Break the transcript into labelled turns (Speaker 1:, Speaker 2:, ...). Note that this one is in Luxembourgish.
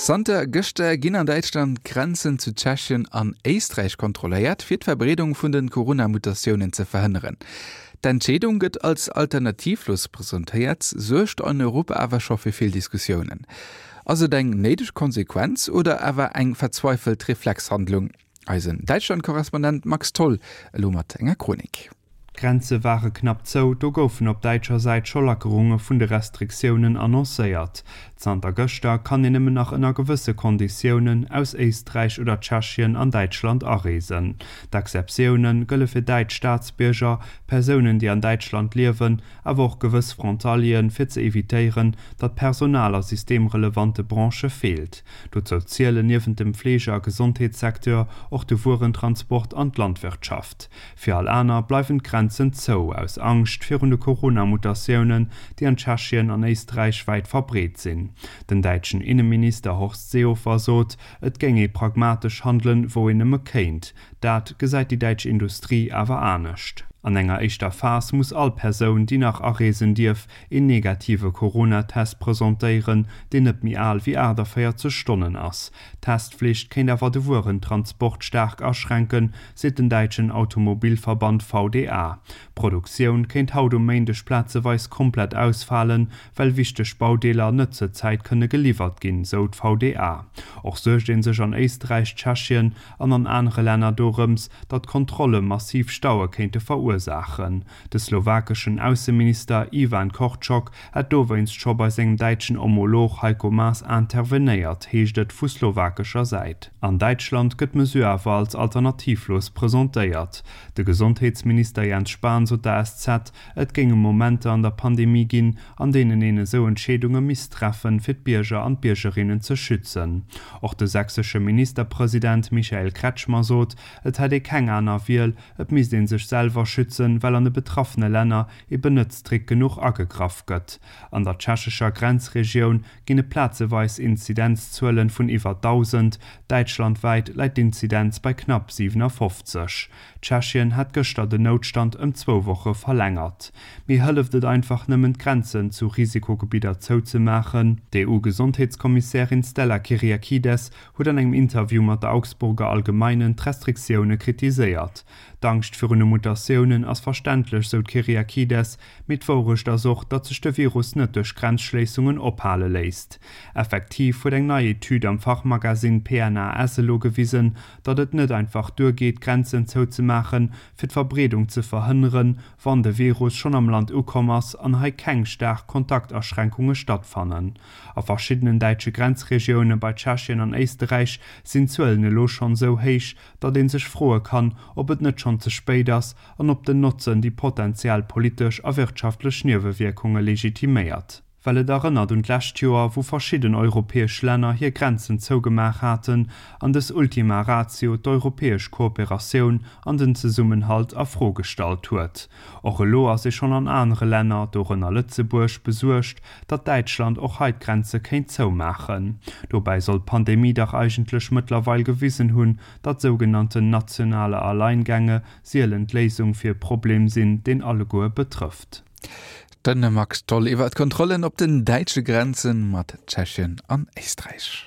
Speaker 1: Zanter gëschter ginn an Däitschland d'Grenzen zu Tschechien an Éisträich kontrolléiert, fir d'Verbreedung vun de Corona-Mutatiounen ze verhënneren. D'Entscheedung gëtt als alternativlos presentéiert, suergt an Europa awer scho fir vill Diskussiounen. Ass et eng néideg Konsequenz oder awer eng verzweifelt Reflexhandlung? Eisen Däitschland-Korrespondent Max Tholl elo mat enger Chronik.
Speaker 2: D'Grenze ware knapp zou, do goufen op däitscher Säit scho Lackerunge vun de Restriktiounen annoncéiert. Zanter gëschter kann een nëmmen nach ënner gewësse Konditiounen aus Éisträich oder Tschechien an Däitschland areesen. D'Exceptioune gëlle fir däitsch Staatsbierger, Persounen, déi an Däitschland liewen, awer och gewëss Frontalieren, fir ze evitéieren, datt Personal a systemrelevante Branchë feelt. Dozou zielen niewent dem Fleege a Gesondheetssecteur och de Wuerentransport an d'Landwirtschaft. Fir all aner bleiwen d'Grenzen zou, aus Angscht virun de Corona-Mutatiounen, déi an Tschechien an Éisträich wäit verbreet sinn. Den däitschen Inneminister Horst Seehofer sot, et géing ee pragmatesch handelen, wou een nëmme kéint. Dat gesäit déi däitsch Industrie awer anescht. An enger éischter Phas muss all Persoun, déi nach areesen dierf, een negative Corona-Test presentéieren, deen net méi al wéi 48 Stonnen ass. D'Testflicht kéint awer de Wuerentransport staark aschränken, seet den däitschen Automobilverband VDA. D'Produktioun kéint haut um Méindeg plazeweis komplett ausfalen, well wichteg Baudeeler net zur Zäit kënne geliwwert ginn, sou d'VDA. Och suergt ee sech an Éisträich, Tschechien an an anere Länner dorëms, datt Kontrolle massiv Staue kéinte verursaachen. De slowakeschen Ausseminister Ivan Korčok hätt dowéinst scho bei sengem däitschen Homolog Heiko Maas intervenéiert, heescht et vu slowakescher Säit. An Däitschland gëtt d'Mesure awer als alternativlos presentéiert. De Gesondheetsminister Jens Spahn sot der SZ, et géinge Momenter an der Pandemie ginn, an deenen een esou Entscheedunge misst treffen, fir d'Bierger an d'Biergerinnen ze schützen. Och de sächsesche Ministerpresident Michael Kretschmer sot, et hätt ee keng aner Wiel, Et misst ee sech selwer schützen, well an de betraffene Länner eben net strikt genuch agegraff gëtt. An der tschechescher Grenzregioun ginn et plazeweis Inzidenzzuelen vun iwwer 1.000, däitschlandwäit läit d'Inzidenz bei knapp 57. Tschechien hat gëschter den Noutstand ëm zwou Woche verlängert. Mee hëlleft et einfach nëmmen d'Grenzen zu Risikogebidder zouzemaachen? D'EU-Gesondheetskommissärin Stella Kyriakides huet an engem Interview mat der Augsburger Allgemeinen d'Restriktioune kritiséiert. D'Angscht virun de Mutatiounen ass verständlech, sou d'Kyriakides, mee d'Wourecht ass och, datt sech de Virus net duerch Grenzschléissungen ophale léisst. Effektiv huet eng nei Etüd am Fachmagasinn PNAS elo gewisen, datt et net einfach duergeet, d'Grenzen zouzemaachen, fir d'Verbreedung ze verhënneren, wann de Virus schonn am Land ukomm ass an hei keng staark Kontaktaschränkunge stattfannen. A verschiddenen däitsche Grenzregioune bei Tschechien an Éisterräich sinn d'Zuelen elo schonn esou héich, datt ee sech froe kann, ob et net schonn ze spéit ass an ob den Notzen déi potentiell politesch a wirtschaftlech Niewewierkunge legitiméiert. Well et erënnert un d'lescht Joer, wou verschidden europäesch Länner hir Grenzen zougemaach haten an dës Ultima Ratio d'europäesch Kooperatioun an den Zesummenhalt a Fro gestallt huet. Och elo ass ee schonn an anere Länner, dorënner Lëtzebuerg, besuergt, datt Däitschland och hei d'Grenze kéint zoumaachen. Dobäi soll d'Pandemie dach eigentlech mëttlerweil gewisen hunn, datt sougenannten nationale Alleingänge sielen d'Léisung fir e Problem sinn, deen alleguer betrëfft.
Speaker 1: De Max Tholl iwwer d'Kontrollen op den däitsche Grenze mat Tschechien an Éisträich.